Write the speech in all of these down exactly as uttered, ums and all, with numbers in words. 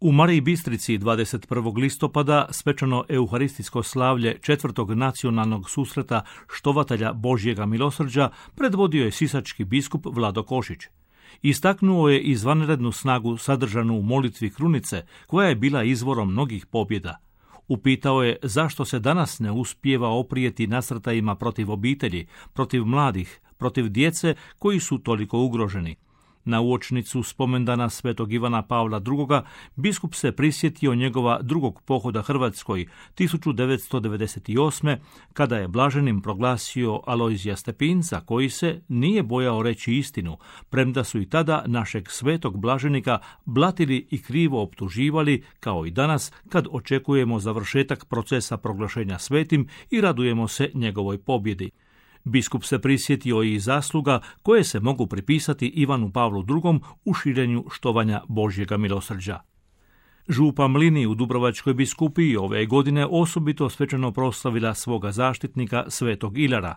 U Mariji Bistrici dvadeset prvog listopada svečano euharistijsko slavlje četvrtog nacionalnog susreta štovatelja Božjega milosrđa predvodio je sisački biskup Vlado Košić. Istaknuo je izvanrednu snagu sadržanu u molitvi krunice, koja je bila izvorom mnogih pobjeda. Upitao je zašto se danas ne uspijeva oprijeti nasrtajima protiv obitelji, protiv mladih, protiv djece koji su toliko ugroženi. Na uočnicu spomendana svetog Ivana Pavla drugoga biskup se prisjetio njegova drugog pohoda Hrvatskoj tisuću devetsto devedeset osme. kada je blaženim proglasio Alojzija Stepinca, koji se nije bojao reći istinu, premda su i tada našeg svetog blaženika blatili i krivo optuživali, kao i danas kad očekujemo završetak procesa proglašenja svetim i radujemo se njegovoj pobjedi. Biskup se prisjetio i zasluga koje se mogu pripisati Ivanu Pavlu drugom u širenju štovanja Božjega milosrđa. Župa Mlini u Dubrovačkoj biskupiji ove godine osobito svečano proslavila svoga zaštitnika svetog Ilara.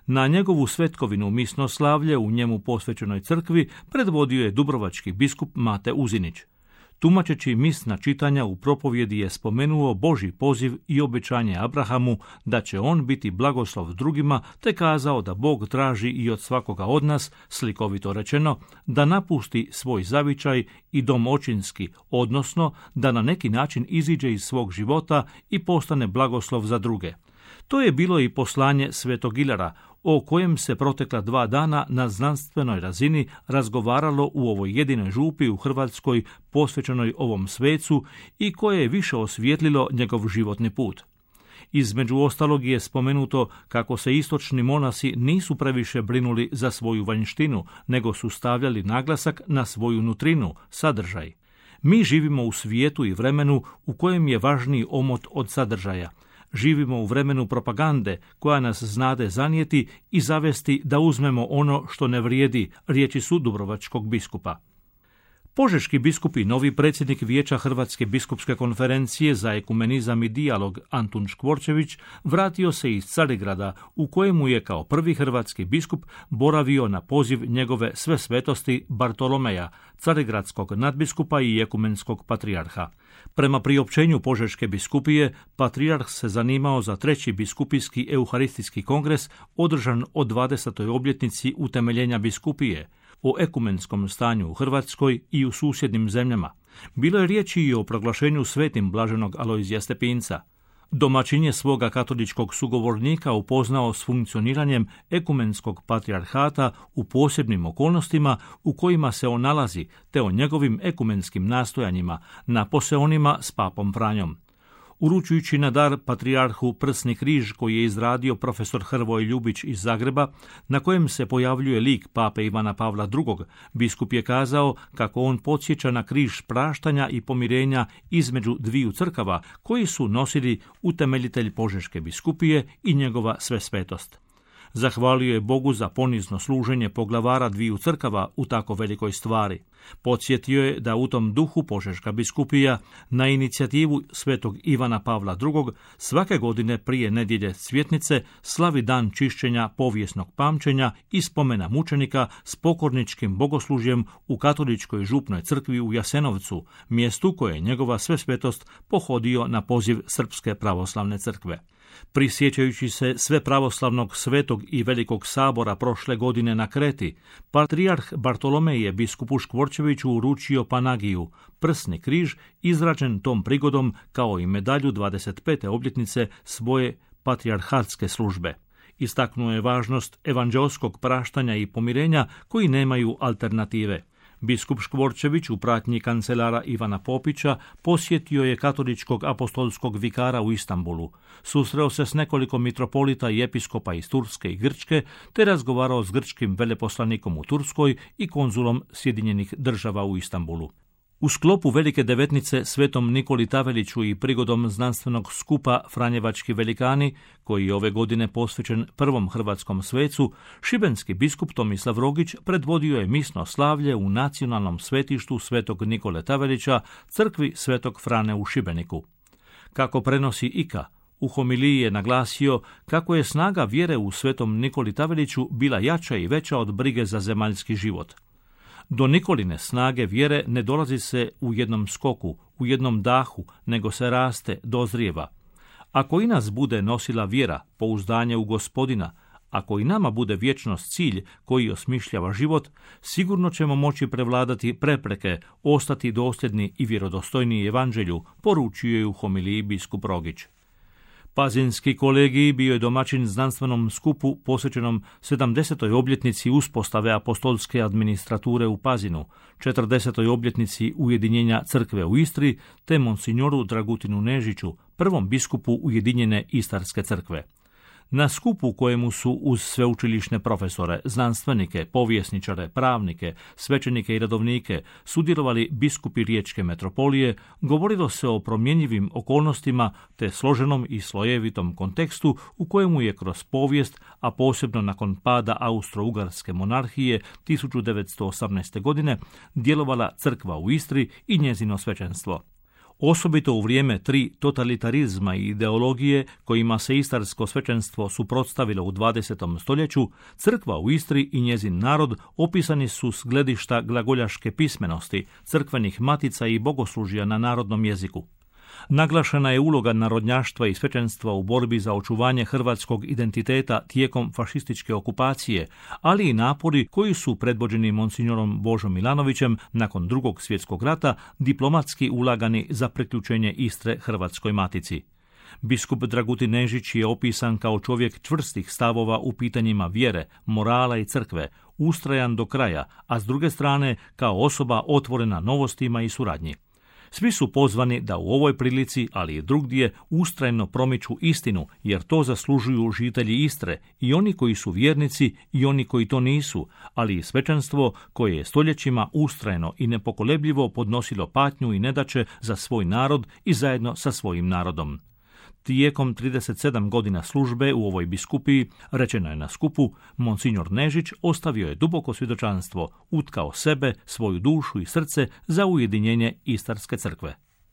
Na njegovu svetkovinu misno slavlje u njemu posvećenoj crkvi predvodio je dubrovački biskup Mate Uzinić. Tumačeći misna čitanja u propovjedi je spomenuo Božji poziv i obećanje Abrahamu da će on biti blagoslov drugima, te kazao da Bog traži i od svakoga od nas, slikovito rečeno, da napusti svoj zavičaj i dom očinski, odnosno da na neki način iziđe iz svog života i postane blagoslov za druge. To je bilo i poslanje svetog Ilara, o kojem se protekla dva dana na znanstvenoj razini razgovaralo u ovoj jedinoj župi u Hrvatskoj posvećenoj ovom svecu i koje je više osvijetlilo njegov životni put. Između ostalog je spomenuto kako se istočni monasi nisu previše brinuli za svoju vanjštinu, nego su stavljali naglasak na svoju nutrinu, sadržaj. Mi živimo u svijetu i vremenu u kojem je važniji omot od sadržaja. Živimo u vremenu propagande koja nas znade zanijeti i zavesti da uzmemo ono što ne vrijedi, riječi su dubrovačkog biskupa. Požeški biskup i novi predsjednik Vijeća Hrvatske biskupske konferencije za ekumenizam i dijalog Antun Škvorčević vratio se iz Carigrada, u kojemu je kao prvi hrvatski biskup boravio na poziv njegove sve svetosti Bartolomeja, carigradskog nadbiskupa i ekumenskog patrijarha. Prema priopćenju Požeške biskupije, patrijarh se zanimao za treći biskupijski euharistijski kongres održan o dvadesetoj obljetnici utemeljenja biskupije, o ekumenskom stanju u Hrvatskoj i u susjednim zemljama. Bilo je riječi i o proglašenju svetim blaženog Alojzija Stepinca. Domaćin je svoga katoličkog sugovornika upoznao s funkcioniranjem ekumenskog patrijarhata u posebnim okolnostima u kojima se on nalazi, te o njegovim ekumenskim nastojanjima, napose onima s papom Franjom. Uručujući na dar patrijarhu prsni križ koji je izradio profesor Hrvoje Ljubić iz Zagreba, na kojem se pojavljuje lik pape Ivana Pavla drugog, biskup je kazao kako on podsjeća na križ praštanja i pomirenja između dviju crkava koji su nosili utemeljitelj Požeške biskupije i njegova svesvetost. Zahvalio je Bogu za ponizno služenje poglavara dviju crkava u tako velikoj stvari. Podsjetio je da u tom duhu Požeška biskupija na inicijativu svetog Ivana Pavla drugog svake godine prije nedjelje Cvjetnice slavi dan čišćenja povijesnog pamćenja i spomena mučenika s pokorničkim bogoslužjem u katoličkoj župnoj crkvi u Jasenovcu, mjestu koje je njegova svesvetost pohodio na poziv Srpske pravoslavne crkve. Prisjećajući se sve pravoslavnog svetog i velikog sabora prošle godine na Kreti, patrijarh Bartolomej je biskupu Škvorčeviću uručio Panagiju, prsni križ izrađen tom prigodom kao i medalju dvadeset pete obljetnice svoje patrijarhatske službe. Istaknuo je važnost evanđeoskog praštanja i pomirenja koji nemaju alternative. Biskup Škvorčević u pratnji kancelara Ivana Popića posjetio je katoličkog apostolskog vikara u Istanbulu. Susreo se s nekoliko mitropolita i episkopa iz Turske i Grčke, te razgovarao s grčkim veleposlanikom u Turskoj i konzulom Sjedinjenih država u Istanbulu. U sklopu Velike devetnice svetom Nikoli Taveliću i prigodom znanstvenog skupa Franjevački velikani, koji je ove godine posvećen prvom hrvatskom svecu, šibenski biskup Tomislav Rogić predvodio je misno slavlje u nacionalnom svetištu svetog Nikole Tavelića, crkvi svetog Frane u Šibeniku. Kako prenosi I K A, u homiliji je naglasio kako je snaga vjere u svetom Nikoli Taveliću bila jača i veća od brige za zemaljski život. Do Nikoline snage vjere ne dolazi se u jednom skoku, u jednom dahu, nego se raste, dozrijeva. Ako i nas bude nosila vjera, pouzdanje u Gospodina, ako i nama bude vječnost cilj koji osmišljava život, sigurno ćemo moći prevladati prepreke, ostati dosljedni i vjerodostojni evanđelju, poručio je u homiliji biskup Rogić. Pazinski kolegij bio je domaćin znanstvenom skupu posvećenom sedamdesetoj obljetnici uspostave apostolske administrature u Pazinu, četrdesetoj obljetnici ujedinjenja crkve u Istri, te monsignoru Dragutinu Nežiću, prvom biskupu Ujedinjene Istarske crkve. Na skupu kojemu su uz sveučilišne profesore, znanstvenike, povjesničare, pravnike, svećenike i redovnike sudjelovali biskupi Riječke metropolije, govorilo se o promjenjivim okolnostima te složenom i slojevitom kontekstu u kojemu je kroz povijest, a posebno nakon pada Austro-Ugarske monarhije tisuću devetsto osamnaeste. godine, djelovala crkva u Istri i njezino svećenstvo. Osobito u vrijeme tri totalitarizma i ideologije kojima se istarsko svećenstvo suprotstavilo u dvadesetom stoljeću, crkva u Istri i njezin narod opisani su s gledišta glagoljaške pismenosti, crkvenih matica i bogoslužja na narodnom jeziku. Naglašena je uloga narodnjaštva i svećenstva u borbi za očuvanje hrvatskog identiteta tijekom fašističke okupacije, ali i napori koji su predvođeni monsignorom Božom Milanovićem nakon drugog svjetskog rata diplomatski ulagani za priključenje Istre Hrvatskoj matici. Biskup Dragutin Nežić je opisan kao čovjek čvrstih stavova u pitanjima vjere, morala i crkve, ustrajan do kraja, a s druge strane kao osoba otvorena novostima i suradnji. Svi su pozvani da u ovoj prilici, ali i drugdje, ustrajno promiču istinu, jer to zaslužuju žitelji Istre, i oni koji su vjernici i oni koji to nisu, ali i svećenstvo koje je stoljećima ustrajno i nepokolebljivo podnosilo patnju i nedaće za svoj narod i zajedno sa svojim narodom. Tijekom trideset sedam godina službe u ovoj biskupiji, rečeno je na skupu, monsinjor Nežić ostavio je duboko svjedočanstvo, utkao sebe, svoju dušu i srce za ujedinjenje Istarske crkve.